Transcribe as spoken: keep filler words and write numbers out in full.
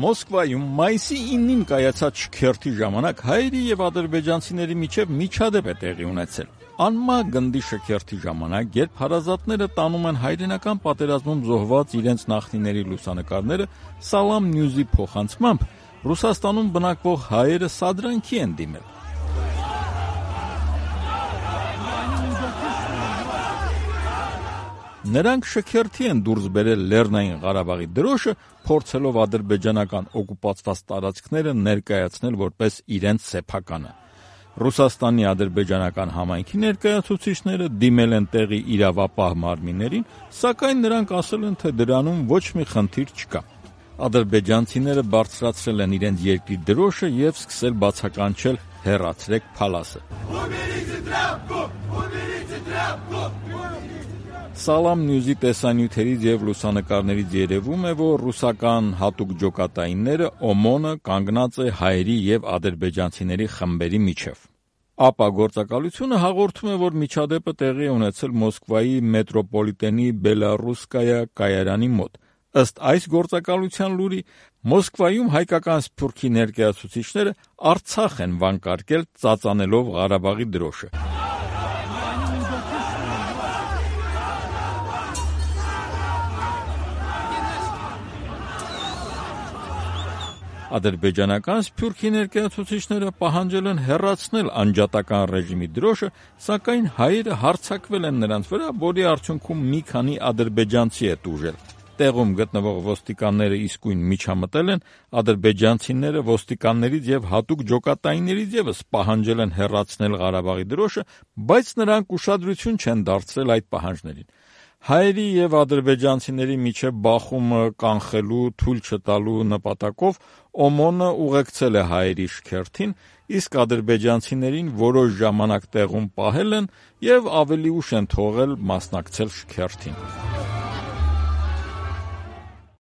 Մոսկվայում մայիսի իննին կայացած շքերթի ժամանակ հայերի եւ ադրբեջանցիների միջև միջադեպ է տեղի ունեցել։ Անմա գնդի շքերթի ժամանակ, երբ հարազատները տանում են հայրենական պատերազմում զոհված իրենց նախնիների լուսանկարները Salam News-ի փոխանցմամբ, Ռուսաստանում բնակվող հայերը սադրանքի են դիմել։ Նրանք շքերթի են դուրս բերել Լեռնային Ղարաբաղի դրոշը, փորձելով ադրբեջանական օկուպացված տարածքները ներկայացնել որպես իրենց սեփականը։ Ռուսաստանի ադրբեջանական համայնքի ներկայացուցիչները դիմել են տեղի իրավապահ մարմիններին, սակայն նրանք ասել են, թե դրանում ոչ մի խնդիր չկա։ Ադրբեջանցիները բարձրացրել են իրենց երկրի դրոշը եւ սկսել բացականչել «Հեռացրեք փալասը»։ Salam News-ի տեսանյութերից եւ լուսանկարներից երևում է, որ ռուսական հատուկ ջոկատայինները օմոնը կանգնած է հայերի եւ ադրբեջանցիների խմբերի միջև։ ԱՊԱ գործակալությունը հաղորդում է, որ միջադեպը տեղի է ունեցել Մոսկվայի մետրոպոլիտենի Բելառուսկայա կայարանի մոտ։ Ըստ այս գործակալության լուրի, Մոսկվայում հայկական սփյուռքի ներկայացուցիչները Արցախ են վանկարկել ծածանելով Ղարաբաղի դրոշը։ Ադրբեջանական սփյուռքի ներկայացուցիչները պահանջել են հեռացնել անջատական ռեժիմի դրոշը, սակայն հայերը հարձակվել են նրանց վրա, որի արդյունքում մի քանի ադրբեջանցի է տուժել։ Տեղում գտնվող ոստիկանները իսկույն միջամտել են, ադրբեջանցիները ոստիկաններից եւ հատուկ ջոկատայիններից եւս պահանջել են հեռացնել Ղարաբաղի դրոշը, բայց նրանք ուշադրություն չեն դարձրել այդ պահանջներին։ Հայերի եւ ադրբեջանցիների միջև բախումը կանխելու, թույլ չտալու նպատակով օմոնը ուղեկցել է հայերի շքերթին, իսկ ադրբեջանցիներին որոշ ժամանակ տեղում պահել են եւ ավելի ուշ են թողել մասնակցել շքերթին։